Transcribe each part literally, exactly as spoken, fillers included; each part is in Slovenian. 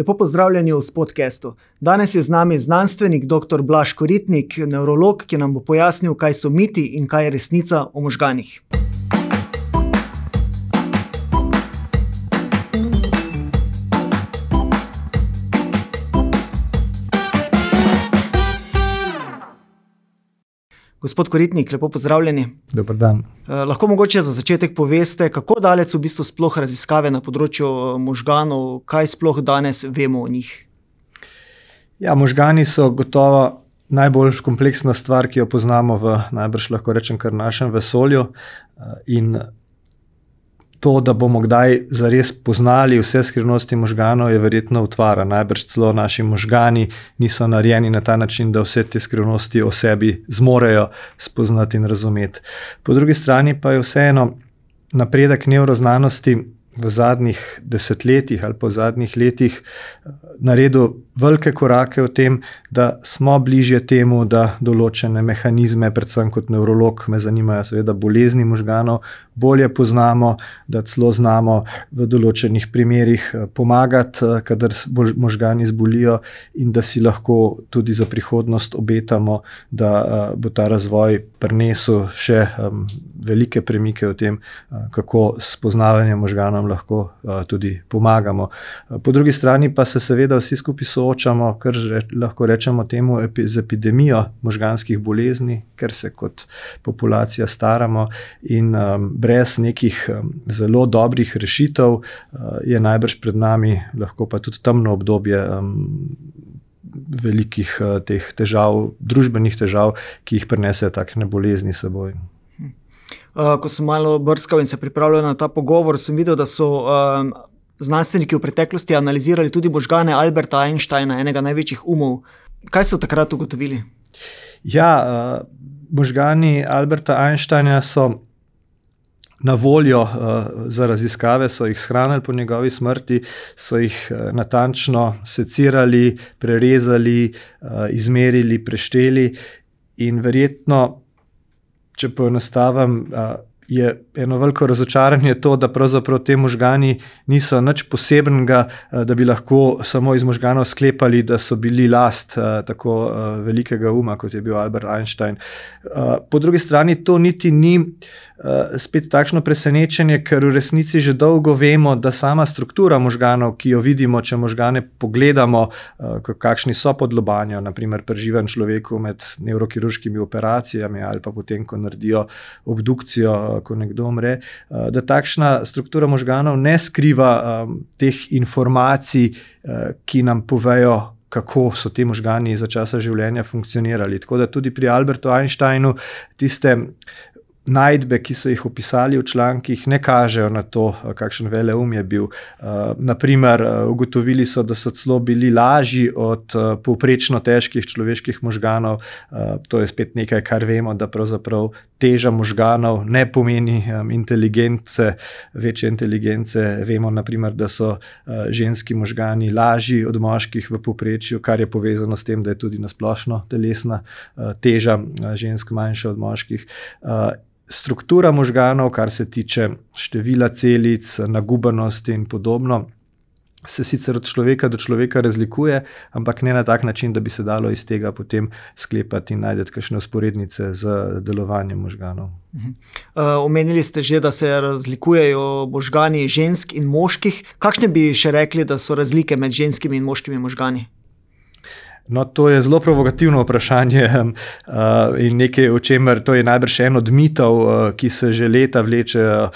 Lepo pozdravljeni v Spodcastu. Danes je z nami znanstvenik doktor Blaž Koritnik, nevrolog, ki nam bo pojasnil, kaj so miti in kaj je resnica o možganih. Gospod Koritnik, lepo pozdravljeni. Dober dan. Eh, lahko mogoče za začetek poveste, kako daleč v bistvu sploh raziskave na področju možganov, kaj sploh danes vemo o njih? Ja, možgani so gotovo najbolj kompleksna stvar, ki jo poznamo v najbrž lahko rečem kar našem vesolju, in to, da bomo kdaj zares poznali vse skrivnosti možganov, je verjetno utvara. Najbrž celo naši možgani niso narejeni na ta način, da vse te skrivnosti o sebi zmorejo spoznati in razumeti. Po drugi strani pa je vseeno napredek nevroznanosti v zadnjih desetletjih ali pa v zadnjih letih naredil velike korake v tem, da smo bližje temu, da določene mehanizme, predvsem kot nevrolog, me zanimajo seveda bolezni možganov, bolje poznamo, da celo znamo v določenih primerih pomagati, kadar možgani zbolijo, in da si lahko tudi za prihodnost obetamo, da bo ta razvoj prinesel še velike premike v tem, kako s spoznavanjem možganov lahko tudi pomagamo. Po drugi strani pa se seveda vsi skupaj soočamo, kar lahko rečemo temu, z epidemijo možganskih bolezni, ker se kot populacija staramo, in brez nekih zelo dobrih rešitev je najbrž pred nami lahko pa tudi temno obdobje velikih teh težav, družbenih težav, ki jih prinesejo takšne bolezni s seboj. Ko sem malo brskal in se pripravljal na ta pogovor, sem videl, da so um, znanstveniki v preteklosti analizirali tudi možgane Alberta Einsteina, enega največjih umov. Kaj so takrat ugotovili? Ja, uh, možgani Alberta Einsteina so na voljo uh, za raziskave, so jih shranili po njegovi smrti, so jih uh, natančno secirali, prerezali, uh, izmerili, prešteli, in verjetno, če poenostavim, je eno veliko razočaranje to, da pravzaprav te možgani niso nič posebnega, da bi lahko samo iz možganov sklepali, da so bili last tako velikega uma, kot je bil Albert Einstein. Po drugi strani to niti ni spet takšno presenečenje, ker v resnici že dolgo vemo, da sama struktura možganov, ki jo vidimo, če možgane pogledamo, kakšni so pod lobanjo, na primer pri živem človeku med nevrokirurškimi operacijami ali pa potem, ko naredijo obdukcijo, ko nekdo umre, da takšna struktura možganov ne skriva teh informacij, ki nam povejo, kako so ti možgani za časa življenja funkcionirali. Tako da tudi pri Albertu Einsteinu tiste najdbe, ki so jih opisali v člankih, ne kažejo na to, kakšen veleum je bil. Naprimer, ugotovili so, da so celo bili lažji od povprečno težkih človeških možganov. To je spet nekaj, kar vemo, da pravzaprav teža možganov ne pomeni inteligence, večje inteligence. Vemo, naprimer, da so ženski možgani lažji od moških v povprečju, kar je povezano s tem, da je tudi nasplošno telesna teža žensk manjša od moških. Struktura možganov, kar se tiče števila celic, nagubanosti in podobno, se sicer od človeka do človeka razlikuje, ampak ne na tak način, da bi se dalo iz tega potem sklepati in najdeti kakšne vzporednice z delovanjem možganov. Uh, omenili ste že, da se razlikujejo možgani žensk in moških. Kakšne bi še rekli, da so razlike med ženskimi in moškimi možgani? No, to je zelo provokativno vprašanje uh, in nekaj, o čemer, to je najbrž en od mitov, uh, ki se že leta vleče uh,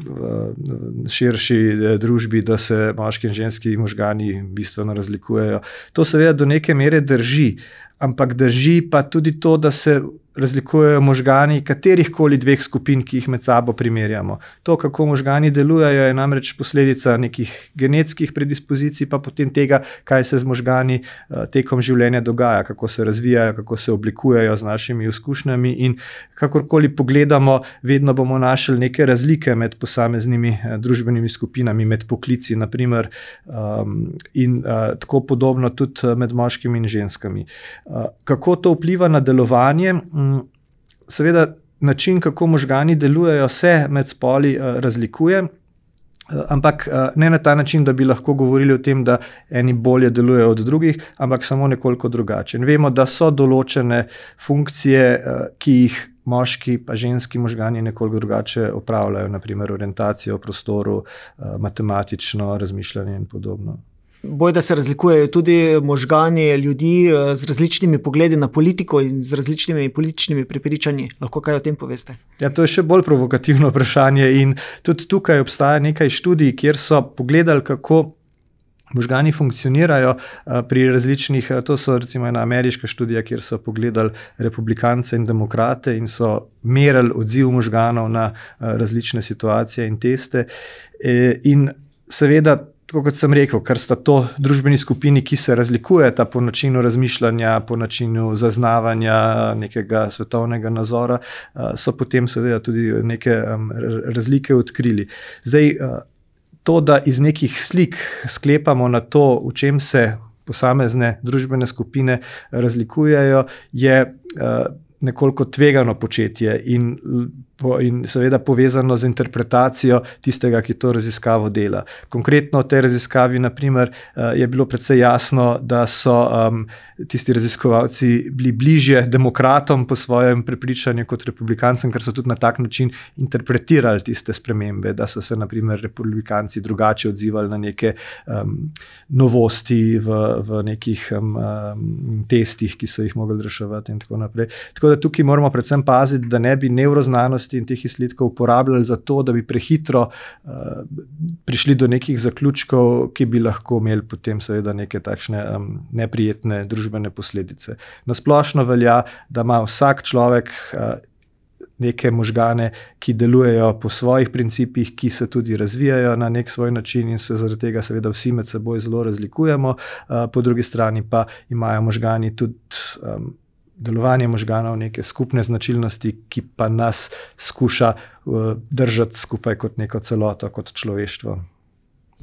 v širši družbi, da se moški in ženski možgani bistveno razlikujejo. To seveda do neke mere drži, ampak drži pa tudi to, da se razlikujejo možgani katerihkoli dveh skupin, ki jih med sabo primerjamo. To, kako možgani delujejo, je namreč posledica nekih genetskih predispozicij, pa potem tega, kaj se z možgani tekom življenja dogaja, kako se razvijajo, kako se oblikujejo z našimi izkušnjami, in kakorkoli pogledamo, vedno bomo našli neke razlike med posameznimi družbenimi skupinami, med poklici, naprimer, in tako podobno tudi med moškimi in ženskami. Kako to vpliva na delovanje? Seveda način, kako možgani delujejo, se med spoli razlikuje. Ampak ne na ta način, da bi lahko govorili o tem, da eni bolje delujejo od drugih, ampak samo nekoliko drugače. In vemo, da so določene funkcije, ki jih moški pa ženski možgani nekoliko drugače opravljajo, naprimer orientacijo v prostoru, matematično razmišljanje in podobno. Boj, da se razlikujejo tudi možgani ljudi z različnimi pogledi na politiko in z različnimi političnimi prepričanji. Lahko kaj o tem poveste? Ja, to je še bolj provokativno vprašanje in tudi tukaj obstaja nekaj študij, kjer so pogledali, kako možgani funkcionirajo pri različnih, to so recimo ena ameriška študija, kjer so pogledali republikance in demokrate in so merili odziv možganov na različne situacije in teste. In seveda, tako kot sem rekel, ker sta to družbeni skupini, ki se razlikujeta po načinu razmišljanja, po načinu zaznavanja nekega svetovnega nazora, so potem seveda tudi neke razlike odkrili. Zdaj, to, da iz nekih slik sklepamo na to, v čem se posamezne družbene skupine razlikujejo, je nekoliko tvegano početje in, in seveda povezano z interpretacijo tistega, ki to raziskavo dela. Konkretno v tej raziskavi, naprimer, je bilo precej jasno, da so um, tisti raziskovalci bili bližje demokratom po svojem prepričanju kot republikancem, ker so tudi na tak način interpretirali tiste spremembe, da so se naprimer republikanci drugače odzivali na neke um, novosti v, v nekih um, testih, ki so jih mogli reševati in tako naprej. Tako da tukaj moramo predvsem paziti, da ne bi nevroznanosti in teh izsledkov uporabljali za to, da bi prehitro uh, prišli do nekih zaključkov, ki bi lahko imeli potem seveda neke takšne um, neprijetne družbene posledice. Nasplošno velja, da ima vsak človek uh, neke možgane, ki delujejo po svojih principih, ki se tudi razvijajo na nek svoj način in se zaradi tega seveda vsi med seboj zelo razlikujemo. Uh, po drugi strani pa imajo možgani tudi um, delovanje možganov, neke skupne značilnosti, ki pa nas skuša uh, držati skupaj kot neko celoto, kot človeštvo.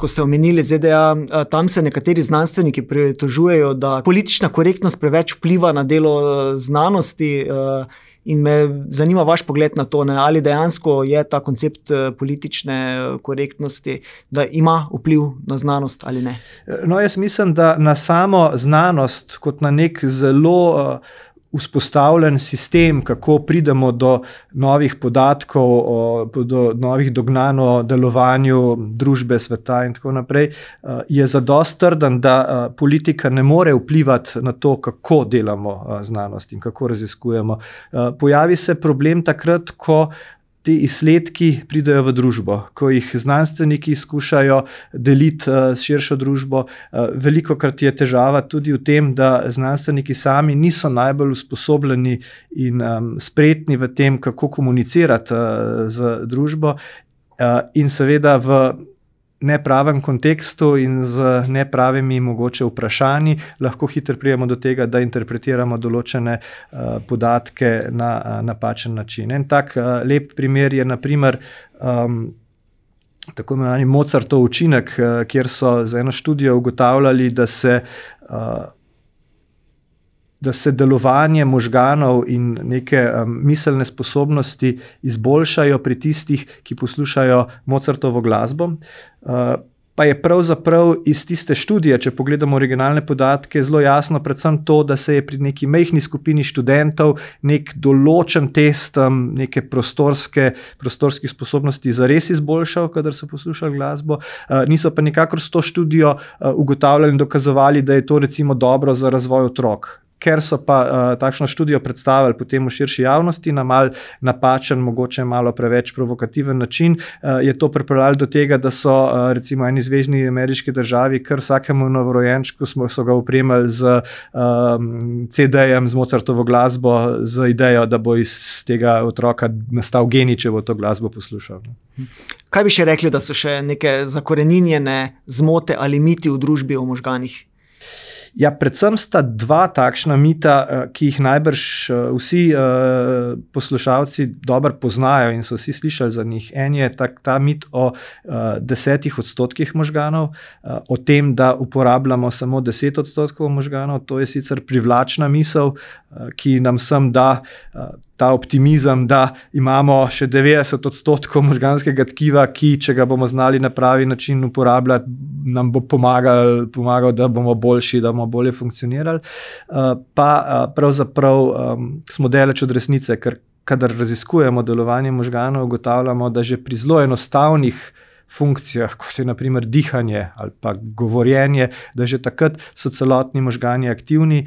Ko ste omenili Z D A, tam se nekateri znanstveniki pritožujejo, da politična korektnost preveč vpliva na delo znanosti in me zanima vaš pogled na to, ne? Ali dejansko je ta koncept politične korektnosti, da ima vpliv na znanost ali ne? No, jaz mislim, da na samo znanost kot na nek zelo uh, vzpostavljen sistem, kako pridemo do novih podatkov, o, do novih dognanj o delovanju družbe, sveta in tako naprej, je zadosti trden, da politika ne more vplivati na to, kako delamo znanost in kako raziskujemo. Pojavi se problem takrat, ko ti izsledki pridejo v družbo, ko jih znanstveniki skušajo deliti uh, s širšo družbo. Uh, velikokrat je težava tudi v tem, da znanstveniki sami niso najbolj usposobljeni in um, spretni v tem, kako komunicirati uh, z družbo uh, in seveda v nepravem kontekstu in z nepravimi mogoče vprašanji lahko hitro prijemo do tega, da interpretiramo določene uh, podatke na uh, napačen način. En tak uh, lep primer je naprimer um, tako imenovani Mozartov učinek, uh, kjer so z eno študijo ugotavljali, da se uh, da se delovanje možganov in neke um, miselne sposobnosti izboljšajo pri tistih, ki poslušajo Mozartovo glasbo. Uh, pa je pravzaprav iz tiste študije, če pogledamo originalne podatke, zelo jasno predvsem to, da se je pri neki majhni skupini študentov nek določen test um, neke prostorske, prostorskih sposobnosti zares izboljšal, kadar so poslušali glasbo. Uh, niso pa nikakor s to študijo uh, ugotavljali in dokazovali, da je to recimo dobro za razvoj otrok. Ker so pa uh, takšno študijo predstavili potem v širši javnosti na mal napačen, mogoče malo preveč provokativen način, uh, je to pripeljalo do tega, da so uh, recimo eni zvezni ameriški državi kar vsakemu novorojenčku smo so ga opremili z um, C D-jem, z Mozartovo glasbo, z idejo, da bo iz tega otroka nastal genij, če bo to glasbo poslušal. Kaj bi še rekli, da so še neke zakoreninjene zmote ali miti v družbi o možganih? Ja, predvsem sta dva takšna mita, ki jih najbrž vsi poslušalci dobro poznajo in so vsi slišali za njih. En je ta, ta mit o desetih odstotkih možganov, o tem, da uporabljamo samo deset odstotkov možganov. To je sicer privlačna misel, ki nam sem da ta optimizem, da imamo še devetdeset odstotkov možganskega tkiva, ki, če ga bomo znali na pravi način uporabljati, nam bo pomagal, pomagal, da bomo boljši, da bomo bolje funkcionirali. Pa pravzaprav smo daleč od resnice, ker kadar raziskujemo delovanje možganov, ugotavljamo, da že pri zelo enostavnih funkcijah, kot je na primer dihanje ali pa govorjenje, da že takrat so celotni možgani aktivni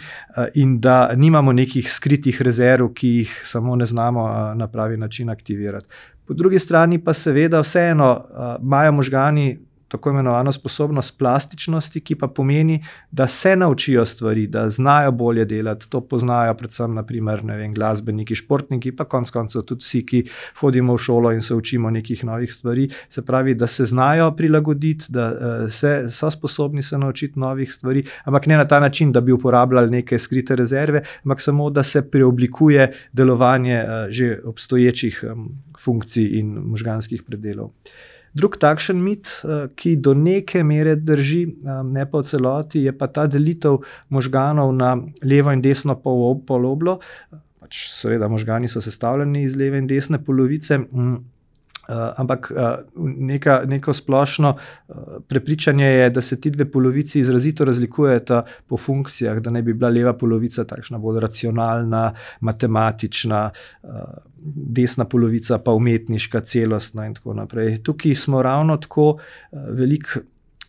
in da nimamo nekih skritih rezerv, ki jih samo ne znamo na pravi način aktivirati. Po drugi strani pa seveda vseeno imajo možgani tako imenovano sposobnost plastičnosti, ki pa pomeni, da se naučijo stvari, da znajo bolje delati. To poznajo predvsem, naprimer, ne vem, glasbeniki, športniki, pa konec koncev tudi vsi, ki hodimo v šolo in se učimo nekih novih stvari. Se pravi, da se znajo prilagoditi, da se, so sposobni se naučiti novih stvari, ampak ne na ta način, da bi uporabljali neke skrite rezerve, ampak samo, da se preoblikuje delovanje že obstoječih funkcij in možganskih predelov. Drug takšen mit, ki do neke mere drži, ne pa v celoti, je pa ta delitev možganov na levo in desno poloblo. Pač seveda možgani so sestavljeni iz leve in desne polovice, ampak neka, neko splošno prepričanje je, da se ti dve polovici izrazito razlikujeta po funkcijah, da ne bi bila leva polovica takšna bolj racionalna, matematična, desna polovica pa umetniška, celostna in tako naprej. Tukaj smo ravno tako veliko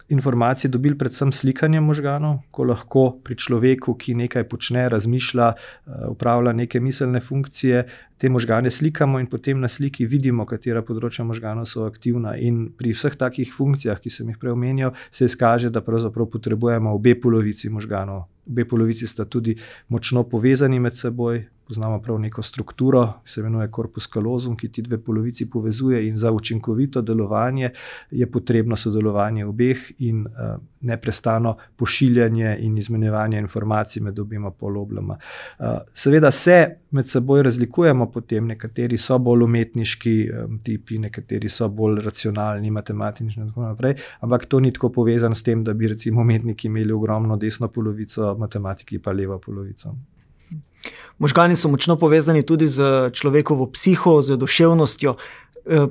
informacij dobili predvsem slikanjem možganov, ko lahko pri človeku, ki nekaj počne, razmišlja, upravlja neke miselne funkcije, te možgane slikamo in potem na sliki vidimo, katera področja možganov so aktivna. In pri vseh takih funkcijah, ki sem jih prej omenjal, se izkaže, da pravzaprav potrebujemo obe polovici možganov. Obe polovici sta tudi močno povezani med seboj, poznamo prav neko strukturo, ki se imenuje corpus callosum, ki ti dve polovici povezuje in za učinkovito delovanje je potrebno sodelovanje obeh in uh, neprestano pošiljanje in izmenjevanje informacij med obema poloblama. Uh, seveda se med seboj razlikujemo potem, nekateri so bolj umetniški um, tipi, nekateri so bolj racionalni, matematični in tako naprej, ampak to ni tako povezan s tem, da bi recimo umetniki imeli ogromno desno polovico, matematiki pa levo polovico. Možgani so močno povezani tudi z človekovo psiho, z duševnostjo.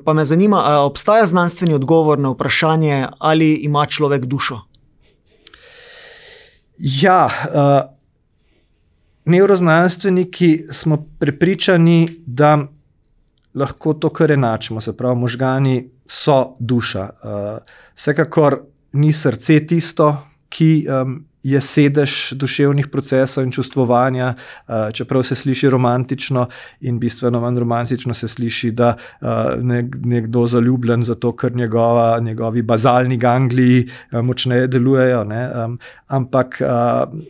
Pa me zanima, ali obstaja znanstveni odgovor na vprašanje, ali ima človek dušo? Ja, uh, nevroznanstveniki smo prepričani, da lahko to kar enačimo, se pravi, možgani so duša. Uh, vsekakor ni srce tisto, ki um, je sedež duševnih procesov in čustvovanja, čeprav se sliši romantično in bistveno manj romantično se sliši, da nekdo zaljubljen zato, ker njegova, njegovi bazalni gangliji močneje delujejo. Ne? Ampak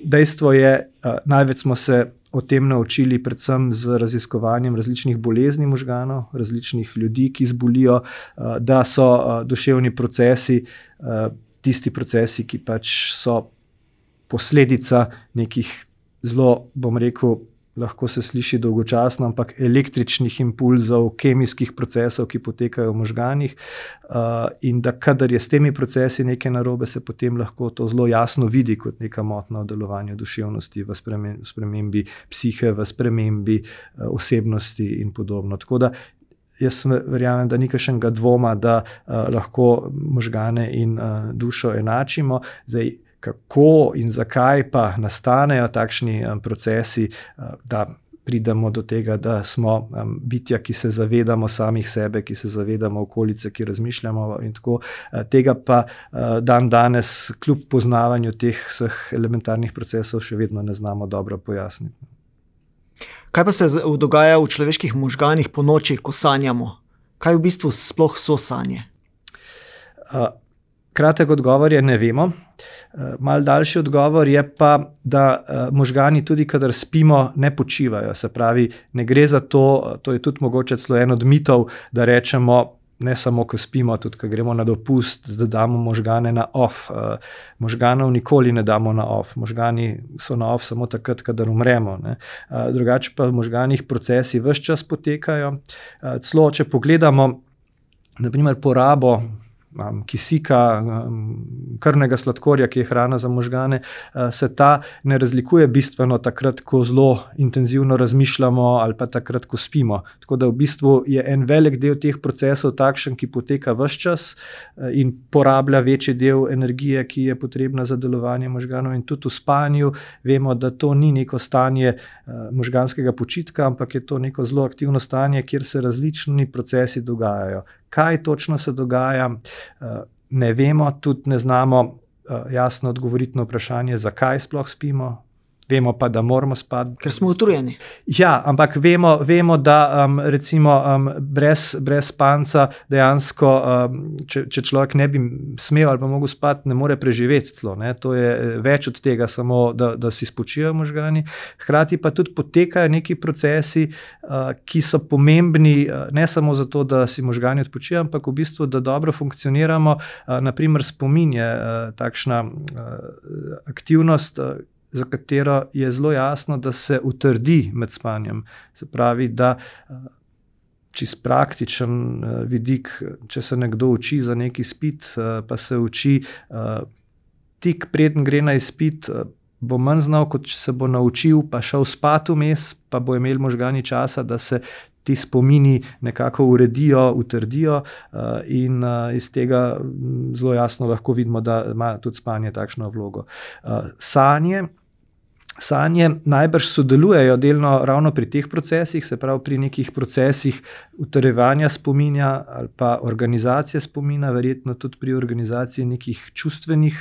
dejstvo je, največ smo se o tem naučili predvsem z raziskovanjem različnih bolezni možganov, različnih ljudi, ki zbolijo, da so duševni procesi tisti procesi, ki pač so posledica nekih zelo, bom rekel, lahko se sliši dolgočasno, ampak električnih impulzov, kemijskih procesov, ki potekajo v možganih, uh, in da kadar je s temi procesi nekaj narobe, se potem lahko to zelo jasno vidi kot neka motnja v delovanju duševnosti, v spremembi, v spremembi psihe, v spremembi uh, osebnosti in podobno. Tako da jaz verjamem, da ni kakšnega dvoma, da uh, lahko možgane in uh, dušo enačimo. Zdaj, kako in zakaj pa nastanejo takšni um, procesi, uh, da pridemo do tega, da smo um, bitja, ki se zavedamo samih sebe, ki se zavedamo okolice, ki razmišljamo in tako. Uh, tega pa uh, dan danes, kljub poznavanju teh vseh elementarnih procesov, še vedno ne znamo dobro pojasniti. Kaj pa se dogaja v človeških možganih po noči, ko sanjamo? Kaj v bistvu sploh so sanje? Uh, kratek odgovor je, ne vemo. Uh, mal daljši odgovor je pa, da uh, možgani tudi, kadar spimo, ne počivajo. Se pravi, ne gre za to, to je tudi mogoče celo en od mitov, da rečemo, ne samo, ko spimo, tudi, ko gremo na dopust, da damo možgane na off. Možganov nikoli ne damo na off. Možgani so na off samo takrat, kadar umremo. Ne. Drugače pa v možganih procesi ves čas potekajo. Celo, če pogledamo, na primer, porabo kisika, krvnega sladkorja, ki je hrana za možgane, se ta ne razlikuje bistveno takrat, ko zelo intenzivno razmišljamo ali pa takrat, ko spimo. Tako da v bistvu je en velik del teh procesov takšen, ki poteka ves čas in porablja večji del energije, ki je potrebna za delovanje možganov, in tudi v spanju vemo, da to ni neko stanje možganskega počitka, ampak je to neko zelo aktivno stanje, kjer se različni procesi dogajajo. Kaj točno se dogaja, ne vemo, tudi ne znamo jasno odgovoriti na vprašanje, zakaj sploh spimo. Vemo pa, da moramo spati. Ker smo utrujeni. Ja, ampak vemo, vemo da um, recimo um, brez, brez spanca dejansko, um, če, če človek ne bi smel ali pa mogel spati, ne more preživeti celo. Ne? To je več od tega, samo da, da si spočijo možgani. Hkrati pa tudi potekajo neki procesi, uh, ki so pomembni uh, ne samo zato, da si možgani odpočijo, ampak v bistvu, da dobro funkcioniramo. Uh, naprimer spomin je uh, takšna uh, aktivnost, uh, za katero je zelo jasno, da se utrdi med spanjem. Se pravi, da čist praktičen vidik, če se nekdo uči za neki izpit, pa se uči tik preden gre na izpit, bo manj znal, kot če se bo naučil, pa šel spat vmes, pa bo imel možgani časa, da se ti spomini nekako uredijo, utrdijo in iz tega zelo jasno lahko vidimo, da ima tudi spanje takšno vlogo. Sanje Sanje najbrž sodelujejo delno ravno pri teh procesih, se pravi pri nekih procesih utrjevanja spominja ali pa organizacije spomina, verjetno tudi pri organizaciji nekih čustvenih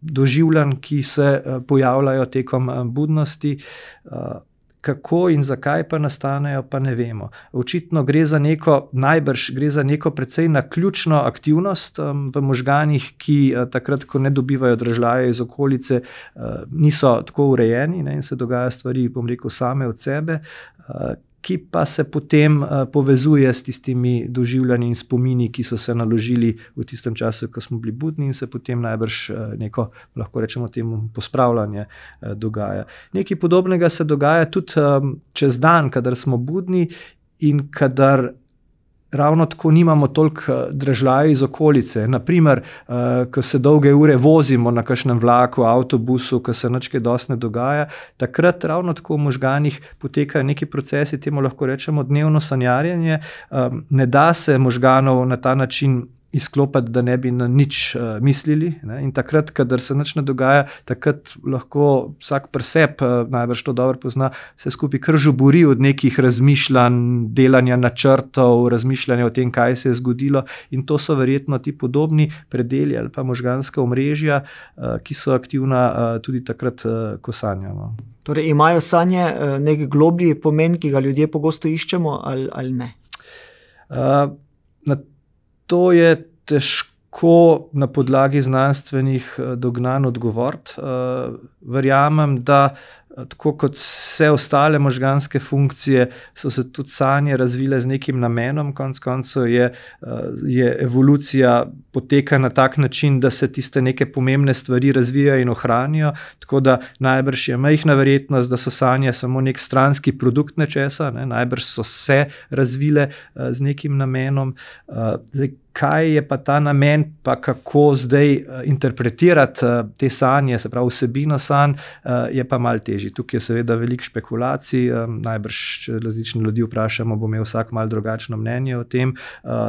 doživljanj, ki se pojavljajo tekom budnosti. Kako in zakaj pa nastanejo, pa ne vemo. Očitno gre za neko, najbrž gre za neko precej naključno aktivnost um, v možganih, ki uh, takrat, ko ne dobivajo dražljaje iz okolice, uh, niso tako urejeni, ne, in se dogaja stvari, bom rekel, same od sebe, uh, ki pa se potem uh, povezuje s tistimi doživljanji in spomini, ki so se naložili v tistem času, ko smo bili budni, in se potem najbrž uh, neko, lahko rečemo temu, pospravljanje uh, dogaja. Nekaj podobnega se dogaja tudi um, čez dan, kadar smo budni in kadar ravno tako nimamo toliko dražljajev iz okolice. Naprimer, uh, ko se dolge ure vozimo na kakšnem vlaku, avtobusu, ko se nič kaj dosti ne dogaja, takrat ravno tako v možganih potekajo neki procesi, temu lahko rečemo dnevno sanjarjenje. Um, ne da se možganov na ta način izklopiti, da ne bi na nič uh, mislili. Ne? In takrat, kadar se nič ne dogaja, takrat lahko vsak pri sebi, uh, najbrž to dobro pozna, se skupaj kar žubori od nekih razmišljanj, delanja načrtov, razmišljanja o tem, kaj se je zgodilo, in to so verjetno ti podobni predeli ali pa možganska omrežja, uh, ki so aktivna uh, tudi takrat, uh, ko sanjamo. Torej imajo sanje uh, nek globlji pomen, ki ga ljudje pogosto iščemo, ali, ali ne? Uh, na To je težko na podlagi znanstvenih dognanj odgovoriti. Verjamem, da tako kot vse ostale možganske funkcije, so se tudi sanje razvile z nekim namenom. Konec koncev je, je evolucija poteka na tak način, da se tiste neke pomembne stvari razvijajo in ohranijo, tako da najbrž je majhna verjetnost, da so sanje samo nek stranski produkt nečesa, ne? Najbrž so se razvile z nekim namenom. Zdaj, kaj je pa ta namen, pa kako zdaj interpretirati te sanje, se pravi vsebino sanj, je pa malo težje. Tukaj je seveda veliko špekulacij, najbrž, če različne ljudi vprašamo, bo imel vsak malo drugačno mnenje o tem.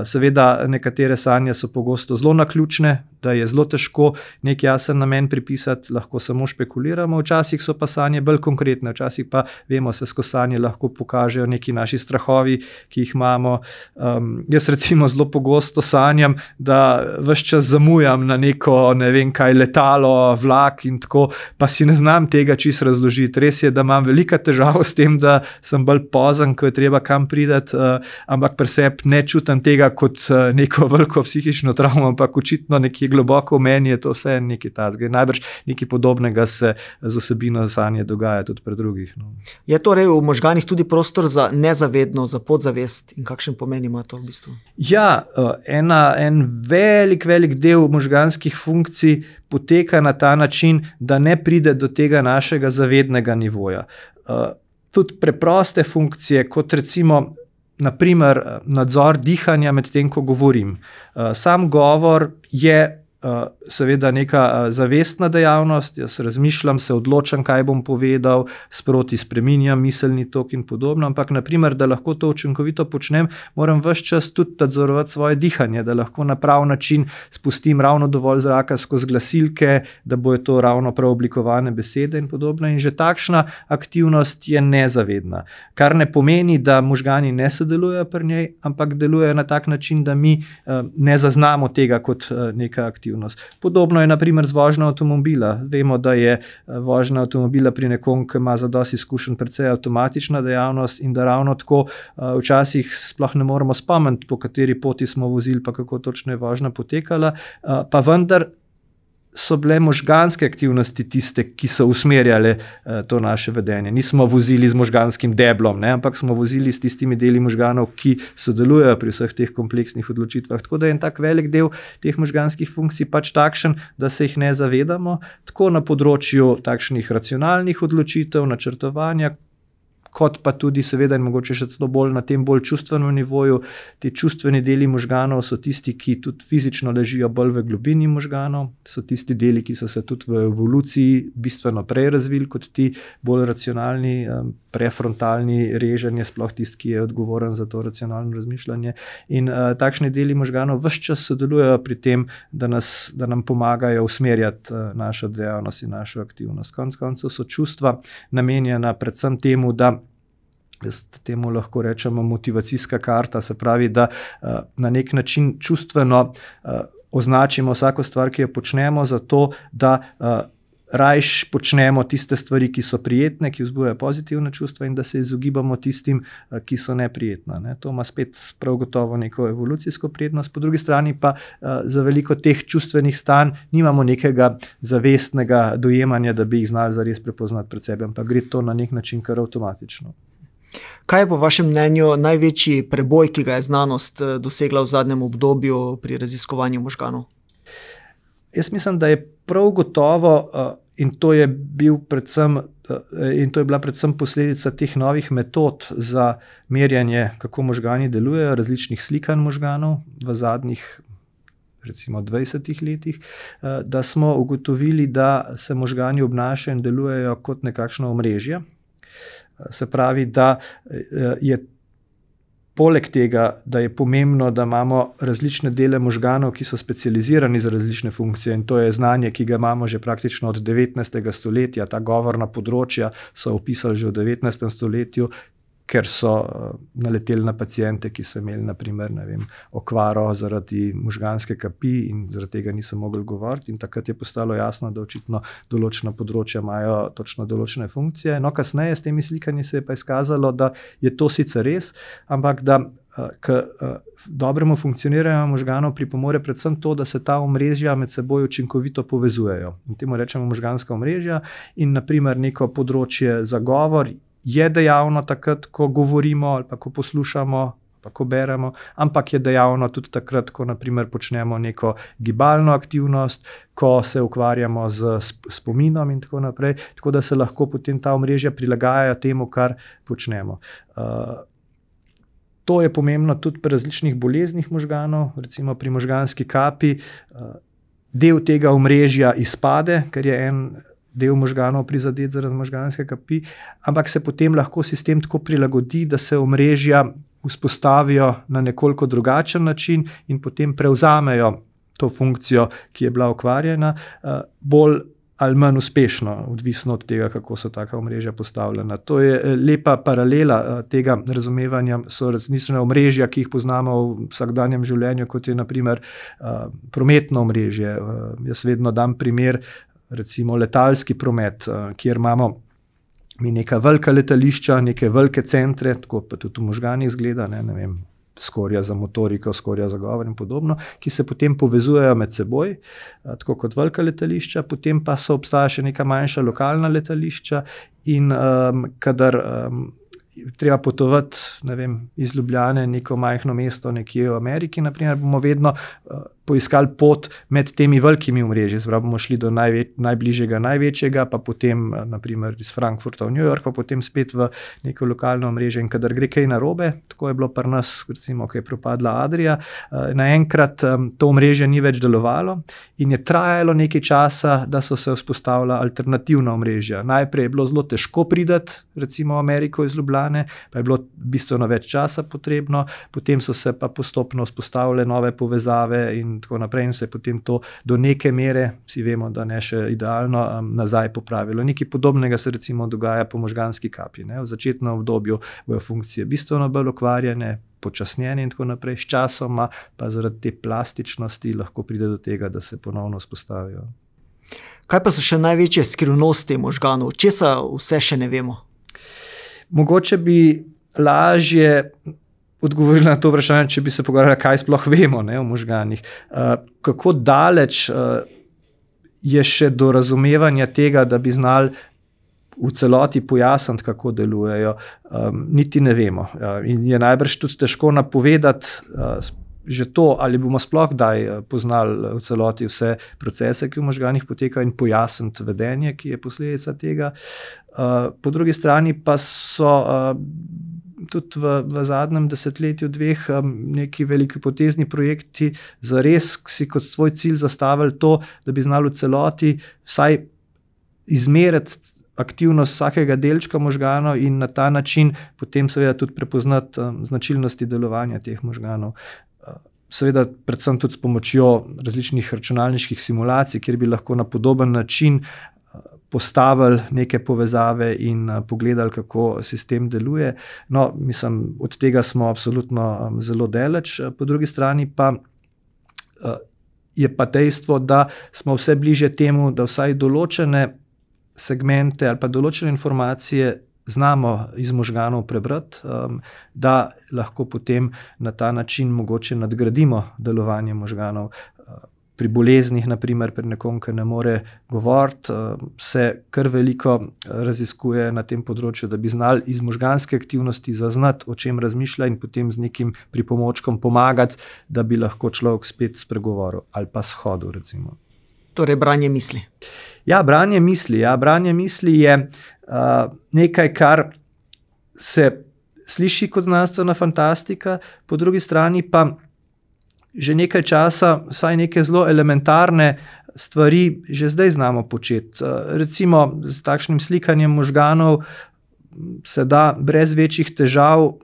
Seveda nekatere sanje so pogosto zelo naključne, da je zelo težko nek jasen namen pripisati, lahko samo špekuliramo, včasih so pa sanje bolj konkretne, včasih pa vemo, se skozi sanje lahko pokažejo neki naši strahovi, ki jih imamo. Um, jaz recimo zelo pogosto sanjam, da ves čas zamujam na neko, ne vem kaj, letalo, vlak in tako, pa si ne znam tega čisto razložiti. Res je, da imam velika težava s tem, da sem bolj pozen, ko je treba kam prideti, uh, ampak pri sebi ne čutim tega kot uh, neko veliko psihično travmo, ampak očitno nekje nekje globoko v meni je to vse nekaj tazga. Najbrž nekaj podobnega se z osebino sanje dogaja tudi pri drugih. No. Je torej v možganih tudi prostor za nezavedno, za podzavest in kakšen pomen ima to v bistvu? Ja, ena, en velik, velik del možganskih funkcij poteka na ta način, da ne pride do tega našega zavednega nivoja. Tudi preproste funkcije, kot recimo naprimer nadzor dihanja med tem, ko govorim. Sam govor je seveda neka zavestna dejavnost, jaz razmišljam, se odločam, kaj bom povedal, sproti spreminjam miselni tok in podobno, ampak naprimer, da lahko to učinkovito počnem, moram ves čas tudi nadzorovati svoje dihanje, da lahko na prav način spustim ravno dovolj zraka skozi glasilke, da bojo to ravno prav oblikovane besede in podobno. In že takšna aktivnost je nezavedna, kar ne pomeni, da možgani ne sodelujejo pri njej, ampak delujejo na tak način, da mi ne zaznamo tega kot neka aktivnost. Podobno je naprimer z vožnjo avtomobila. Vemo, da je vožnja avtomobila pri nekom, ki ima zadosti izkušenj, precej avtomatična dejavnost in da ravno tako včasih sploh ne moremo spomniti, po kateri poti smo vozili, pa kako točno je vožnja potekala, pa vendar so bile možganske aktivnosti tiste, ki so usmerjale to naše vedenje. Nismo vozili z možganskim deblom, ne, ampak smo vozili s tistimi deli možganov, ki sodelujejo pri vseh teh kompleksnih odločitvah. Tako da je en tak velik del teh možganskih funkcij pač takšen, da se jih ne zavedamo, tako na področju takšnih racionalnih odločitev, načrtovanja, kot pa tudi seveda in mogoče še celo bolj na tem bolj čustvenem nivoju. Ti čustveni deli možganov so tisti, ki tudi fizično ležijo bolj v globini možganov, so tisti deli, ki so se tudi v evoluciji bistveno prej razvili kot ti bolj racionalni, prefrontalni reženje, sploh tisti, ki je odgovoren za to racionalno razmišljanje. In uh, takšni deli možganov ves čas sodelujejo pri tem, da, nas, da nam pomagajo usmerjati uh, našo dejavnost in našo aktivnost. Konec koncev so čustva namenjena predvsem temu, da jaz temu lahko rečemo motivacijska karta, se pravi, da uh, na nek način čustveno uh, označimo vsako stvar, ki jo počnemo, zato da uh, rajš počnemo tiste stvari, ki so prijetne, ki vzbujajo pozitivne čustva in da se izogibamo tistim, uh, ki so neprijetne. Ne? To ima spet prav gotovo neko evolucijsko prednost, po drugi strani pa uh, za veliko teh čustvenih stanj nimamo nekega zavestnega dojemanja, da bi jih znali zares prepoznati pred sebe, ampak gre to na nek način kar avtomatično. Kaj je po vašem mnenju največji preboj, ki ga je znanost dosegla v zadnjem obdobju pri raziskovanju možganov? Jaz mislim, da je prav gotovo, in to je bil predvsem, in to je bila predvsem posledica teh novih metod za merjanje, kako možgani delujejo, različnih slikanj možganov v zadnjih recimo dvajsetih letih, da smo ugotovili, da se možgani obnašajo in delujejo kot nekakšno omrežje. Se pravi, da je poleg tega, da je pomembno, da imamo različne dele možganov, ki so specializirani za različne funkcije, in to je znanje, ki ga imamo že praktično od devetnajstega stoletja, ta govorna področja so opisali že v devetnajstem stoletju, ker so naleteli na paciente, ki so imeli naprimer, ne vem, okvaro zaradi možganske kapi in zaradi tega niso mogli govoriti, in takrat je postalo jasno, da očitno določena področja imajo točno določene funkcije. No, kasneje s temi slikanji se je pa izkazalo, da je to sicer res, ampak da k dobremu funkcioniranju možganov pripomore predvsem to, da se ta omrežja med seboj učinkovito povezujejo. In temu rečemo možganska omrežja in naprimer neko področje za govor je dejavno takrat, ko govorimo ali pa ko poslušamo, pa ko beremo, ampak je dejavno tudi takrat, ko naprimer počnemo neko gibalno aktivnost, ko se ukvarjamo z spominom in tako naprej, tako da se lahko potem ta omrežja prilagajajo temu, kar počnemo. Uh, to je pomembno tudi pri različnih boleznih možganov, recimo pri možganski kapi, uh, del tega omrežja izpade, ker je en del možganov prizadet zaradi možganske kapi, ampak se potem lahko sistem tako prilagodi, da se omrežja vzpostavijo na nekoliko drugačen način in potem prevzamejo to funkcijo, ki je bila ukvarjena, bolj ali manj uspešno, odvisno od tega, kako so taka omrežja postavljena. To je lepa paralela tega razumevanja, so resnične omrežja, ki jih poznamo v vsakdanjem življenju, kot je naprimer prometno omrežje. Jaz vedno dam primer, recimo letalski promet, kjer imamo mi neka velika letališča, neke velike centre, tako pa tudi v možganih izgleda, ne, ne vem, skorja za motoriko, skorja za govor in podobno, ki se potem povezujejo med seboj, tako kot velika letališča, potem pa so obstaja še neka manjša lokalna letališča in um, kadar um, treba potovati, ne vem, iz Ljubljane neko majhno mesto nekje v Ameriki, naprimer, bomo vedno uh, poiskali pot med temi velikimi omrežji, zdaj bomo šli do največ, najbližjega, največjega, pa potem naprimer iz Frankfurta v New York, pa potem spet v neko lokalno omrežje in kadar gre kaj narobe, tako je bilo pri nas, recimo, ko je propadla Adria, naenkrat to omrežje ni več delovalo in je trajalo nekaj časa, da so se vzpostavila alternativna omrežja. Najprej je bilo zelo težko priti, recimo v Ameriko iz Ljubljane, pa je bilo bistveno več časa potrebno, potem so se pa postopno vzpostavile nove povezave in tako naprej in se je potem to do neke mere, vsi vemo, da ne še idealno, um, nazaj popravilo. Nekaj podobnega se recimo dogaja po možganski kapi. Ne? V začetnem obdobju bojo funkcije bistveno bolj okvarjene, počasnjene in tako naprej, s časoma pa zaradi te plastičnosti lahko pride do tega, da se ponovno vzpostavijo. Kaj pa so še največje skrivnosti možganov? Česa vse še ne vemo? Mogoče bi lažje odgovorili na to vprašanje, če bi se pogovarjali, kaj sploh vemo, ne, o možganih. Uh, kako daleč uh, je še do razumevanja tega, da bi znali v celoti pojasniti, kako delujejo, um, niti ne vemo. Uh, in je najbrž tudi težko napovedati uh, že to, ali bomo sploh kdaj poznali v celoti vse procese, ki v možganih potekajo in pojasniti vedenje, ki je posledica tega. Uh, po drugi strani pa so uh, tudi v, v zadnjem desetletju dveh um, neki veliki potezni projekti zares si kot svoj cilj zastavili to, da bi znali v celoti vsaj izmeriti aktivnost vsakega delčka možganov in na ta način potem seveda tudi prepoznati um, značilnosti delovanja teh možganov. Uh, seveda predvsem tudi s pomočjo različnih računalniških simulacij, kjer bi lahko na podoben način postavili neke povezave in uh, pogledali, kako sistem deluje. No, mislim, od tega smo absolutno um, zelo daleč. Po drugi strani pa uh, je pa dejstvo, da smo vse bliže temu, da vsaj določene segmente ali pa določene informacije znamo iz možganov prebrati, um, da lahko potem na ta način mogoče nadgradimo delovanje možganov. Uh, Pri boleznih, naprimer, pri nekom, ki ne more govoriti, se kar veliko raziskuje na tem področju, da bi znali iz možganske aktivnosti zaznati, o čem razmišlja in potem z nekim pripomočkom pomagati, da bi lahko človek spet spregovoril ali pa shodil, recimo. Torej, branje misli. Ja, branje misli. Ja, branje misli je uh, nekaj, kar se sliši kot znanstvena fantastika, po drugi strani pa že nekaj časa, vsaj neke zelo elementarne stvari že zdaj znamo početi. Recimo s takšnim slikanjem možganov se da brez večjih težav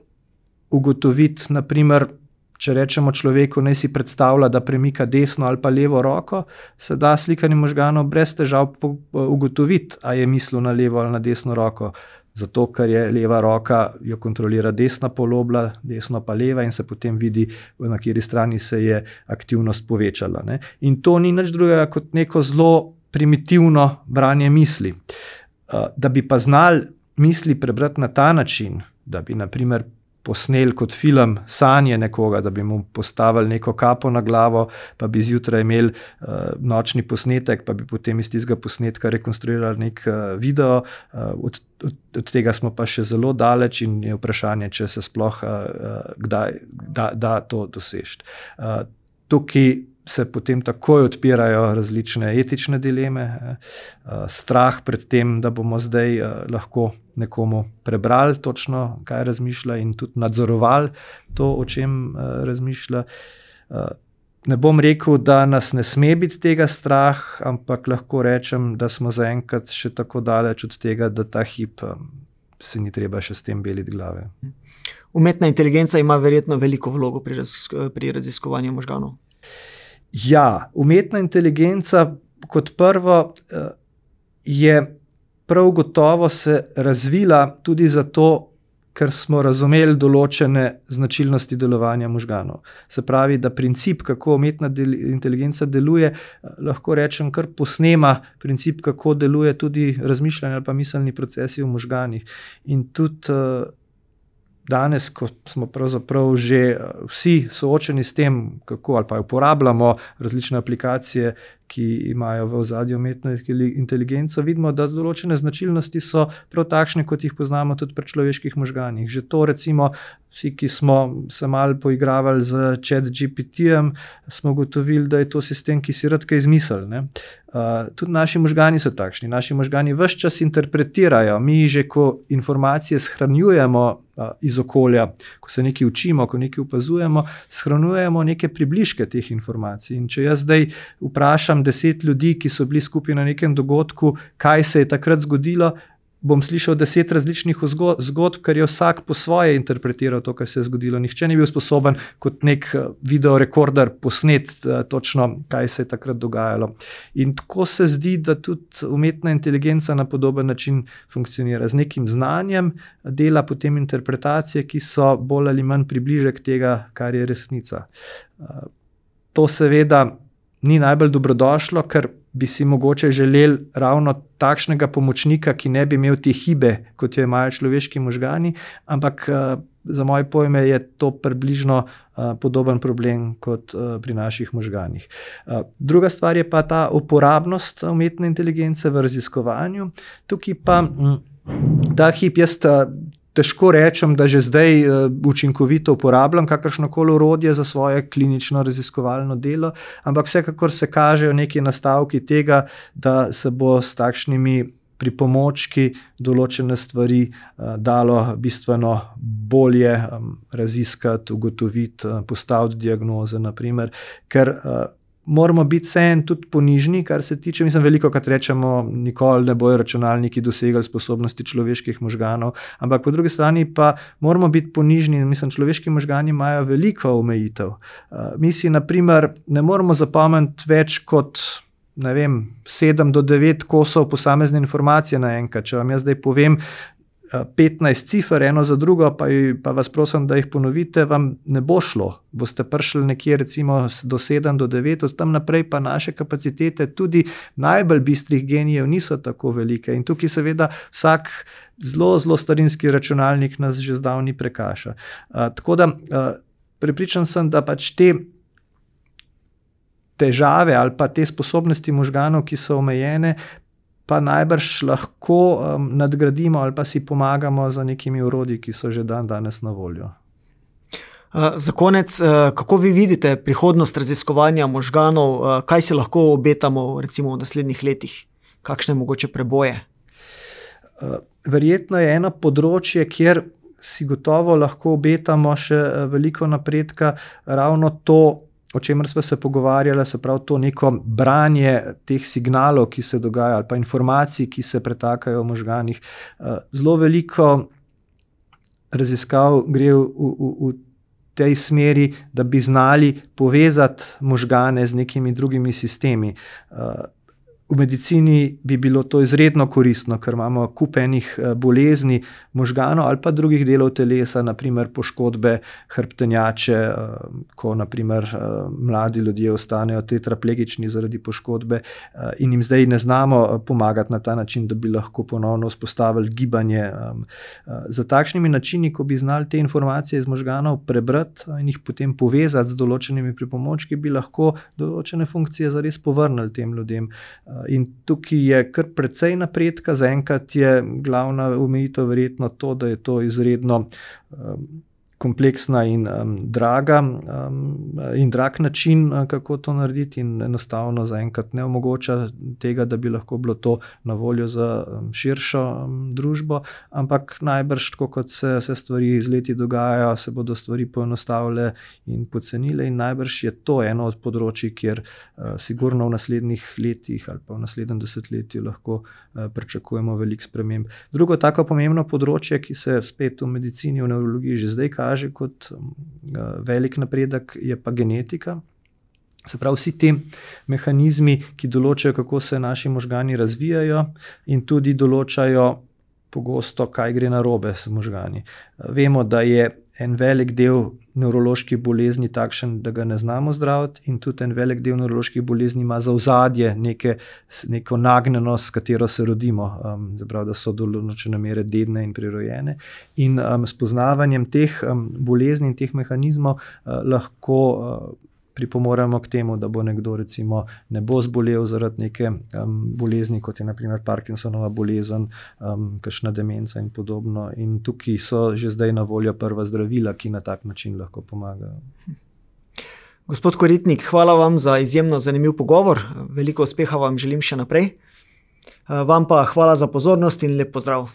ugotoviti, naprimer, če rečemo človeku, naj si predstavlja, da premika desno ali pa levo roko, se da slikanjem možganov brez težav ugotoviti, a je mislil na levo ali na desno roko. Zato, ker je leva roka, jo kontrolira desna polobla, desno pa leva in se potem vidi, na kateri strani se je aktivnost povečala. Ne. In to ni nič drugega kot neko zelo primitivno branje misli. Da bi pa znali misli prebrati na ta način, da bi naprimer posneli kot film sanje nekoga, da bi mu postavili neko kapo na glavo, pa bi zjutraj imeli uh, nočni posnetek, pa bi potem iz tistega posnetka rekonstruirali nek uh, video. Uh, od, od, od tega smo pa še zelo daleč in je vprašanje, če se sploh uh, kdaj da, da to doseči. Uh, tukaj se potem takoj odpirajo različne etične dileme, uh, strah pred tem, da bomo zdaj uh, lahko nekomu prebrali točno, kaj razmišlja in tudi nadzorovali to, o čem uh, razmišlja. Uh, ne bom rekel, da nas ne sme biti tega strah, ampak lahko rečem, da smo zaenkrat še tako daleč od tega, da ta hip um, se ni treba še s tem beliti glave. Umetna inteligenca ima verjetno veliko vlogo pri, razisko- pri raziskovanju možganov. Ja, umetna inteligenca kot prvo uh, je prav gotovo se razvila tudi zato, ker smo razumeli določene značilnosti delovanja možganov. Se pravi, da princip, kako umetna del- inteligenca deluje, lahko rečem, kar posnema princip, kako deluje tudi razmišljanje ali pa miselni procesi v možganih. In tudi uh, danes, ko smo pravzaprav že vsi soočeni s tem, kako ali pa uporabljamo različne aplikacije, ki imajo v ozadju umetno inteligenco, vidimo, da določene značilnosti so prav takšne, kot jih poznamo tudi pri človeških možganih. Že to recimo vsi, ki smo se malo poigravali z Chat G P T-jem, smo ugotovili, da je to sistem, ki si rad kaj izmisli, ne. Uh, tudi naši možgani so takšni, naši možgani ves čas interpretirajo, mi že ko informacije shranjujemo uh, iz okolja, ko se nekaj učimo, ko nekaj opazujemo, shranjujemo neke približke teh informacij. In če jaz zdaj vprašam deset ljudi, ki so bili skupaj na nekem dogodku, kaj se je takrat zgodilo, bom slišal deset različnih zgodb, ker je vsak po svoje interpretiral to, kaj se je zgodilo. Nihče ni bil sposoben kot nek videorekorder posnet točno, kaj se je takrat dogajalo. In tako se zdi, da tudi umetna inteligenca na podoben način funkcionira. Z nekim znanjem dela potem interpretacije, ki so bolj ali manj približek tega, kar je resnica. To seveda ni najbolj dobrodošlo, ker bi si mogoče želeli ravno takšnega pomočnika, ki ne bi imel te hibe, kot jo imajo človeški možgani, ampak za moje pojme je to približno podoben problem kot pri naših možganih. Druga stvar je pa ta uporabnost umetne inteligence v raziskovanju. Tukaj pa ta hip jaz težko rečem, da že zdaj učinkovito uporabljam kakršnokoli orodje za svoje klinično raziskovalno delo, ampak vsekakor se kažejo neki nastavki tega, da se bo s takšnimi pripomočki določene stvari dalo bistveno bolje raziskati, ugotoviti, postaviti diagnoze, naprimer, ker moramo biti vseeno tudi ponižni, kar se tiče, mislim, veliko krat rečemo, nikoli ne bojo računalniki dosegali sposobnosti človeških možganov, ampak po drugi strani pa moramo biti ponižni, mislim, človeški možgani imajo veliko omejitev. Mi si, naprimer, ne moramo zapomniti več kot, ne vem, sedem do devet kosov posamezne informacije naenkrat. Če vam jaz zdaj povem petnajst cifer, eno za drugo, pa, pa vas prosim, da jih ponovite, vam ne bo šlo. Boste prišli nekje recimo do sedem do devet, od tam naprej pa naše kapacitete tudi najbolj bistrih genijev niso tako velike. In tukaj seveda vsak zelo, zelo starinski računalnik nas že zdavni prekaša. Uh, tako da uh, prepričan sem, da pač te težave ali pa te sposobnosti možganov, ki so omejene, pa najbrž lahko um, nadgradimo ali pa si pomagamo za nekimi orodji, ki so že dan danes na voljo. Uh, za konec, uh, kako vi vidite prihodnost raziskovanja možganov, uh, kaj si lahko obetamo recimo v naslednjih letih, kakšne mogoče preboje? Uh, verjetno je eno področje, kjer si gotovo lahko obetamo še veliko napredka, ravno to, o čemer smo se pogovarjali, se pravi to neko branje teh signalov, ki se dogajajo, ali pa informacij, ki se pretakajo v možganih. Zelo veliko raziskav gre v, v, v tej smeri, da bi znali povezati možgane z nekimi drugimi sistemi. V medicini bi bilo to izredno koristno, ker imamo kup enih bolezni možganov ali pa drugih delov telesa, naprimer poškodbe hrbtenjače, ko naprimer mladi ljudje ostanejo tetraplegični zaradi poškodbe in jim zdaj ne znamo pomagati na ta način, da bi lahko ponovno vzpostavili gibanje. Za takšnimi načini, ko bi znali te informacije iz možganov prebrati in jih potem povezati z določenimi pripomočki, bi lahko določene funkcije zares povrnili tem ljudem. In tukaj je kar precej napredka, zaenkrat je glavna omejitev verjetno to, da je to izredno um, kompleksna in um, draga um, in drag način, kako to narediti, in enostavno zaenkrat ne omogoča tega, da bi lahko bilo to na voljo za um, širšo um, družbo, ampak najbrž, tako kot se, se stvari z leti dogajajo, se bodo stvari poenostavile in pocenile in najbrž je to eno od področij, kjer uh, sigurno v naslednjih letih ali pa v naslednjem desetletju lahko uh, pričakujemo veliko sprememb. Drugo tako pomembno področje, ki se spet v medicini, v nevrologiji že zdaj kaže kot velik napredek, je pa genetika. Se pravi, vsi ti mehanizmi, ki določajo, kako se naši možgani razvijajo in tudi določajo pogosto, kaj gre narobe s možgani. Vemo, da je en velik del nevroloških bolezni takšen, da ga ne znamo zdraviti, in tudi en velik del nevroloških bolezni ima za ozadje neke, neko nagnjenost, s katero se rodimo, um, zaprav, da so do določene mere dedne in prirojene. In um, s poznavanjem teh um, bolezni in teh mehanizmov uh, lahko uh, pripomoremo k temu, da bo nekdo recimo ne bo zbolel zaradi neke um, bolezni, kot je na primer Parkinsonova bolezen, um, kakšna demenca in podobno. In tukaj so že zdaj na voljo prva zdravila, ki na tak način lahko pomagajo. Gospod Koritnik, hvala vam za izjemno zanimiv pogovor. Veliko uspeha vam želim še naprej. Vam pa hvala za pozornost in lep pozdrav.